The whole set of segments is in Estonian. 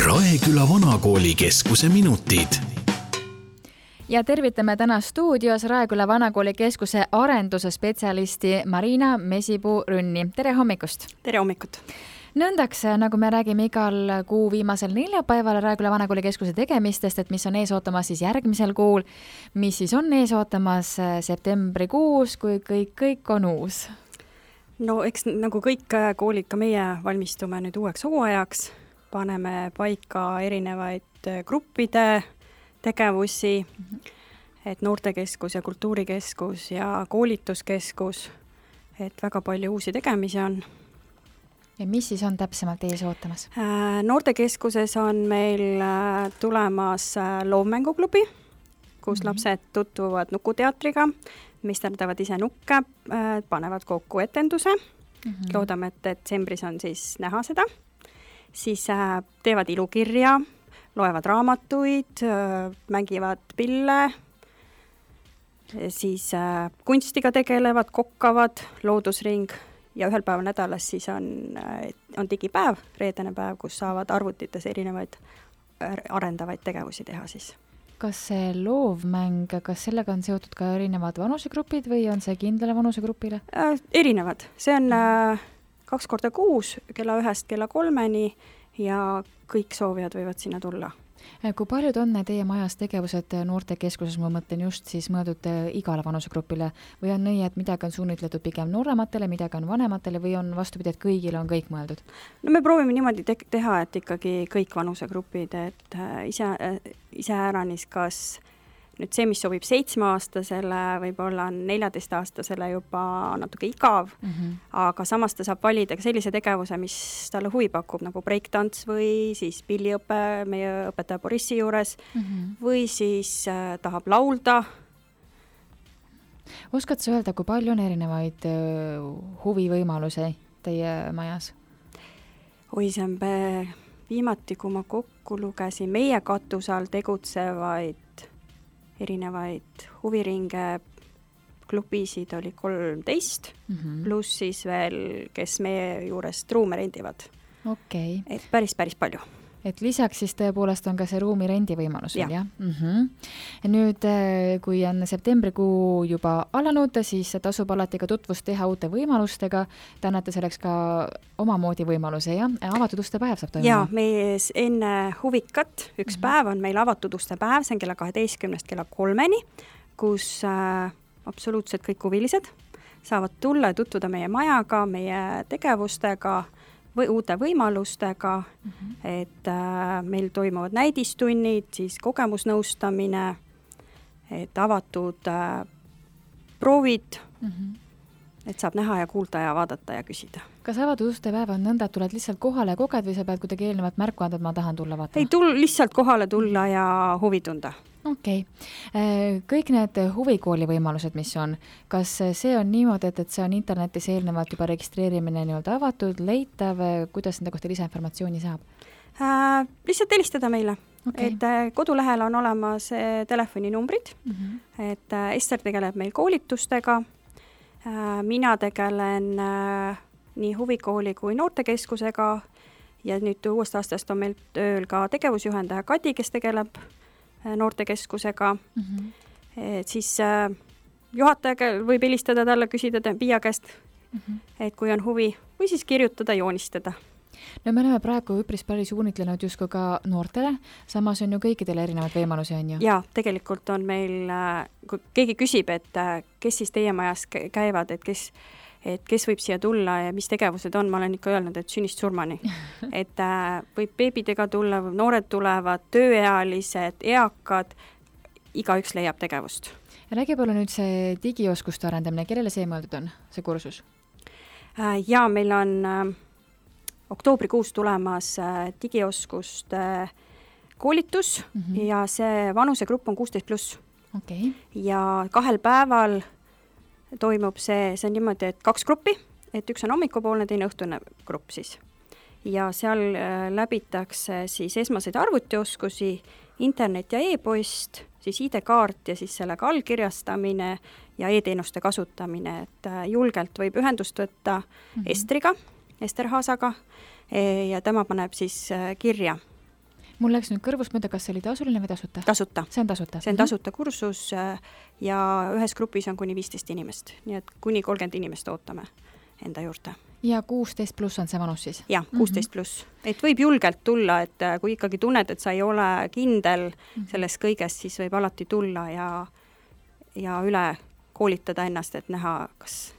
Raeküla Vanakooli keskuse minutid. Ja tervitame täna stuudios Raeküla Vanakooli keskuse arenduse spetsialisti Marina Mesipuu-Rünni. Tere hommikust! Tere hommikut! Nõndaks, nagu me räägime igal kuu viimasel neljapäeval Raeküla Vanakooli keskuse tegemistest, et mis on ees ootamas siis järgmisel kuul, mis siis on ees ootamas septembrikuus, kui kõik on uus? No eks nagu kõik koolid, ka meie valmistume nüüd uueks hooajaks, paneme paika erinevaid gruppide tegevusi, et noortekeskus ja kultuurikeskus ja koolituskeskus, et väga palju uusi tegemisi on. Ja mis siis on täpsemalt ees ootamas? Noortekeskuses on meil tulemas loovmänguklubi, kus lapsed tutvuvad nukuteatriga, meisterdavad ise nukke, panevad kokku etenduse. Loodame, et detsembris on siis näha seda. Siis teevad ilukirja, loevad raamatuid, mängivad pille, siis kunstiga tegelevad, kokkavad, loodusring ja ühel päeval nädalas siis on digipäev, reedene päev, kus saavad arvutites erinevaid arendavaid tegevusi teha siis. Kas see loovmäng, kas sellega on seotud ka erinevad vanusegrupid või on see kindlale vanusegrupile? Erinevad. See on 2 korda kuus, kella 1 kella 3 ja kõik soovijad võivad sinna tulla. Kui paljud on teie majas tegevused noortekeskuses, ma mõtlen just siis mõeldud igale vanusegrupile või on nii, et midagi on suunitletud pigem noorematele, midagi on vanematele või on vastupidi, et kõigile on kõik mõeldud? No me proovime niimoodi teha, et ikkagi kõik vanusegrupid, et ise äranis, kas nüüd see, mis sobib 7-aastasele, võib-olla 14-aastasele juba natuke igav, aga samas ta saab valida ka sellise tegevuse, mis talle huvi pakub, nagu breaktants või siis pilliõpe meie õpetaja Borissi juures või siis tahab laulda. Oskad sa öelda, kui palju on erinevaid huvivõimalusi teie majas? Oi, see on viimati, kui ma kokku lugesin, meie katusal tegutsevaid erinevaid huviringe klubisid oli 13, pluss siis veel, kes meie juurest ruume rendivad. Okay. Et päris palju. Et lisaks siis tõepoolest on ka see ruumi rendi võimalus veel, jah? Nüüd, kui on septembrikuu juba alanud, siis tasub alati ka tutvust teha uute võimalustega. Te annate selleks ka omamoodi võimaluse, jah? Avatud uste päev saab toimuma? Jaa, meie enne huvikat üks päev on meil avatud uste päev, see on kella 12 kella 3, kus absoluutselt kõik huvilised saavad tulla ja tutvuda meie majaga, meie tegevustega, või uute võimalustega, et meil toimuvad näidistunnid, siis kogemusnõustamine, et avatud proovid, et saab näha ja kuulda ja vaadata ja küsida. Kas avatud uste päev on nõnda, et tuled lihtsalt kohale ja koged või sa pead kuidagi eelnevalt märku anda, et ma tahan tulla vaatama? Ei, lihtsalt kohale tulla ja huvi tunda. Okei. Kõik need huvikooli võimalused, mis on, kas see on niimoodi, et see on internetis eelnevalt juba registreerimine nii-öelda avatud, leitav, kuidas nende kohta lisainformatsiooni saab? Lihtsalt helistada meile. Okay. Et kodulehel on olemas telefoninumbrid, et Ester tegeleb meil koolitustega, mina tegelen nii huvikooli kui noortekeskusega ja nüüd uuest aastast on meil tööl ka tegevusjuhendaja Kadi, kes tegeleb noortekeskusega, et siis juhataja võib helistada talle, küsida Piia käest, et kui on huvi, või siis kirjutada, joonistada. No me oleme praegu üpris päris suunitlenud justkui ka noortele, samas on ju kõikidele erinevad võimalusi, on ju? Jaa, tegelikult on meil, kui keegi küsib, et kes siis teie majas käivad, et kes võib siia tulla ja mis tegevused on, ma olen ikka öelnud, et sünnist surmani. Et võib beebidega tulla, noored tulevad, tööealised, eakad, igaüks leiab tegevust. Räägi palju nüüd see digioskuste arendamine, kellele see mõeldud on, see kursus? Jaa, meil on oktoobrikuus tulemas digioskuste koolitus ja see vanusegrupp on 16+. Okay. Ja 2 päeval toimub see on niimoodi, et 2 gruppi, et üks on hommikupoolne, teine õhtune grupp siis. Ja seal läbitakse siis esmaseid arvutioskusi, internet ja e-post, siis ID-kaart ja siis sellega allkirjastamine ja e-teenuste kasutamine, et julgelt võib ühendust võtta Estriga, Ester Haasaga ja tema paneb siis kirja. Mul läks nüüd kõrvust mõelda, kas see oli tasuline või tasuta? Tasuta. See on tasuta? See on tasuta kursus ja ühes grupis on kuni 15 inimest, nii et kuni 30 inimest ootame enda juurde. Ja 16 pluss on see vanus siis? Jah, 16 pluss. Et võib julgelt tulla, et kui ikkagi tunned, et sa ei ole kindel selles kõigest, siis võib alati tulla ja üle koolitada ennast, et näha, kas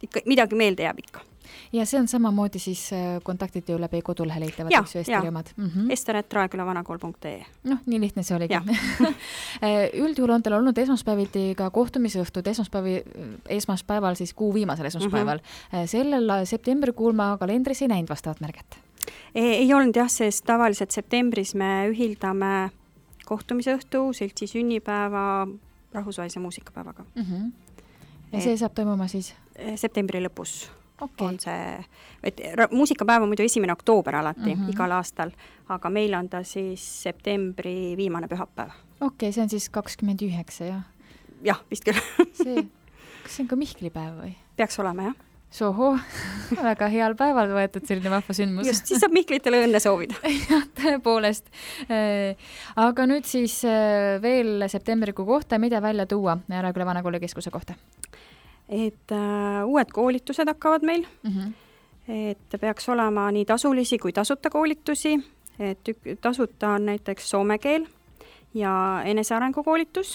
ikka midagi meelde jääb ikka. Ja see on samamoodi siis kontaktid ju läbi kodulehe leitavad, eks ju, Esteri omad? ester@raekülavanakool.ee. Noh, nii lihtne see oligi. Üldjuhul on teil olnud esmaspäeviti ka kohtumisõhtud, esmaspäeval siis kuu viimasel esmaspäeval. Sellel septembrikuul ma kalendris ei näinud vastavat märget. Ei olnud jah, sest tavaliselt septembris me ühildame kohtumisõhtu, seltsi sünnipäeva, rahvusvahelise muusikapäevaga. Ja see saab toimuma siis? Septembri lõpus. Okay. On see, et muusikapäev on muidu 1. oktoober alati igal aastal, aga meil on ta siis septembri viimane pühapäev. Okei, see on siis 29, jah? Jah, vist küll. Kas see on ka Mihklipäev või? Peaks olema, jah. Soho, väga heal päeval võetud selline vahva sündmus. Just, siis saab Mihklitele õnne soovida. Jah, tõepoolest. Aga nüüd siis veel septembrikuu kohta, mida välja tuua Raeküla Vanakooli keskuse kohta? Et uued koolitused hakkavad meil, et peaks olema nii tasulisi kui tasuta koolitusi, et tasuta on näiteks soome keel ja enesearengu koolitus,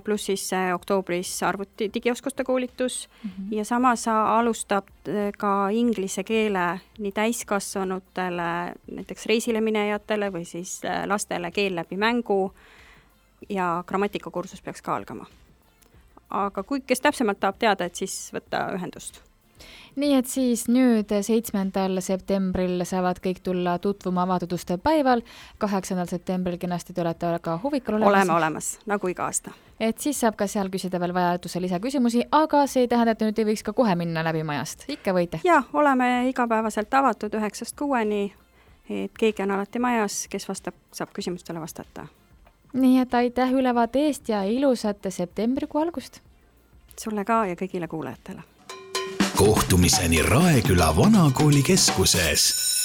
pluss siis oktoobris arvuti digioskuste koolitus ja samas alustab ka inglise keele nii täiskasvanutele, näiteks reisile minejatele või siis lastele keel läbi mängu ja grammatikakursus peaks ka algama. Aga kes täpsemalt tahab teada, et siis võtta ühendust. Nii et siis nüüd 7. septembril saavad kõik tulla tutvuma avatud uste päeval, 8. septembril kenasti te olete ka huvikul olemas. Oleme olemas, nagu iga aasta. Et siis saab ka seal küsida veel vajaduse lisaküsimusi, aga see ei tähenda, et nüüd ei võiks ka kohe minna läbi majast. Ikka võite? Jah, oleme igapäevaselt avatud 9-6, et keegi on alati majas, kes saab küsimustele vastata. Nii et aitäh ülevaate eest ja ilusat septembrikuu algust! Sulle ka ja kõigile kuulajatele! Kohtumiseni Raeküla Vanakooli keskuses!